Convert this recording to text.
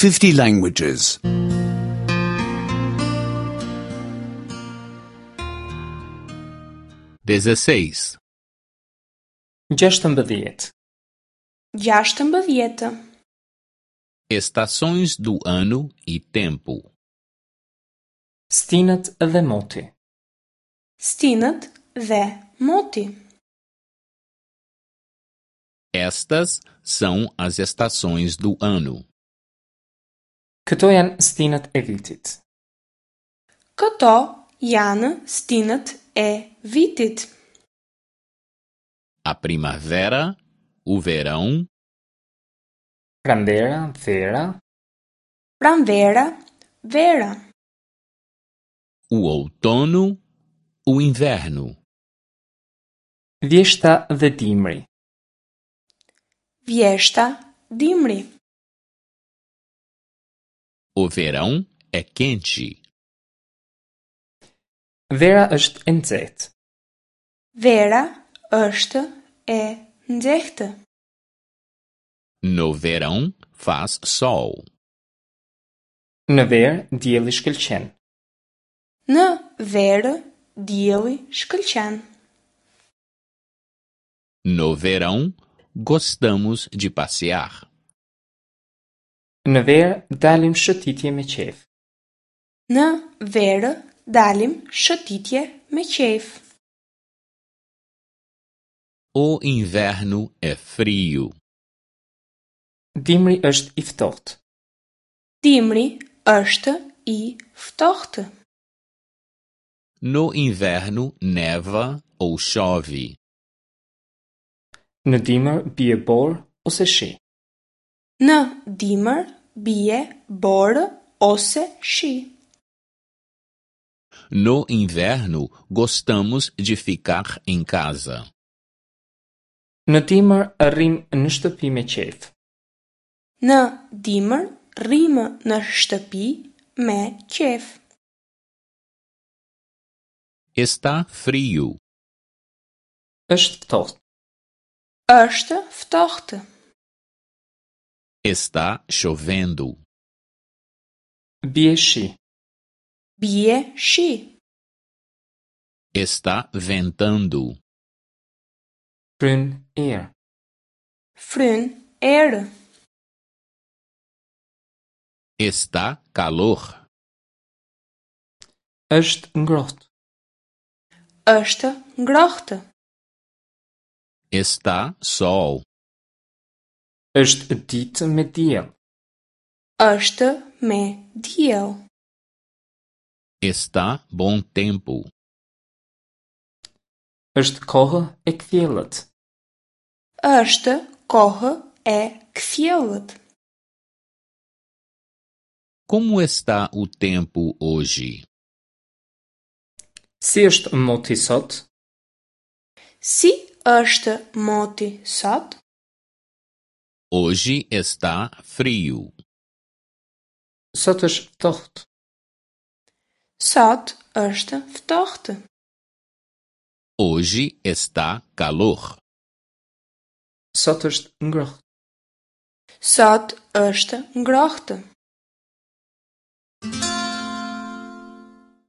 50 languages. 16. 16. 16. Estações do ano e tempo. Stinët dhe moti. Stinët dhe moti. Estas são as estações do ano. Këto janë stinët e vitit. Këto janë stinët e vitit. A primavera, o verão, Pranvera, vera, Pranvera, vera. o outono, o inverno. vjeshta dhe dimri. Vjeshta, dimri. O verão é quente. Vera është e nxehtë. Vera është e nxehtë. No verão faz sol. Në verë dielli shkëlqen. Në verë dielli shkëlqen. No verão gostamos de passear. Në verë dalim shëtitje me qejf. Në verë dalim shëtitje me qejf. O inverno é frio. Dimri është i ftohtë. Dimri është i ftohtë. No inverno neva ou chove. Në dimër bie borë ose shi. Në dimër bie borë ose shi. No inverno gostamos de ficar em casa. Në dimër rrim në shtëpi me qejf. Në dimër rrimë në shtëpi me qejf. Está frio. Është ftohtë. Është ftohtë. Está chovendo. Bie shi. Bie shi. Está ventando. Fryn erë. Fryn erë. Está calor. Është ngrohtë. Është ngrohtë. Está sol. Është ditë me diell. Është me diell. Está bom tempo. Është kohë e kthjellët. Është kohë e kthjellët. Como está o tempo hoje? Si është moti sot? Si është moti sot? Hoje está frio. Sot është ftohtë. Sot është ftohtë. Hoje está calor. Sot është ngrohtë. Sot është ngrohtë.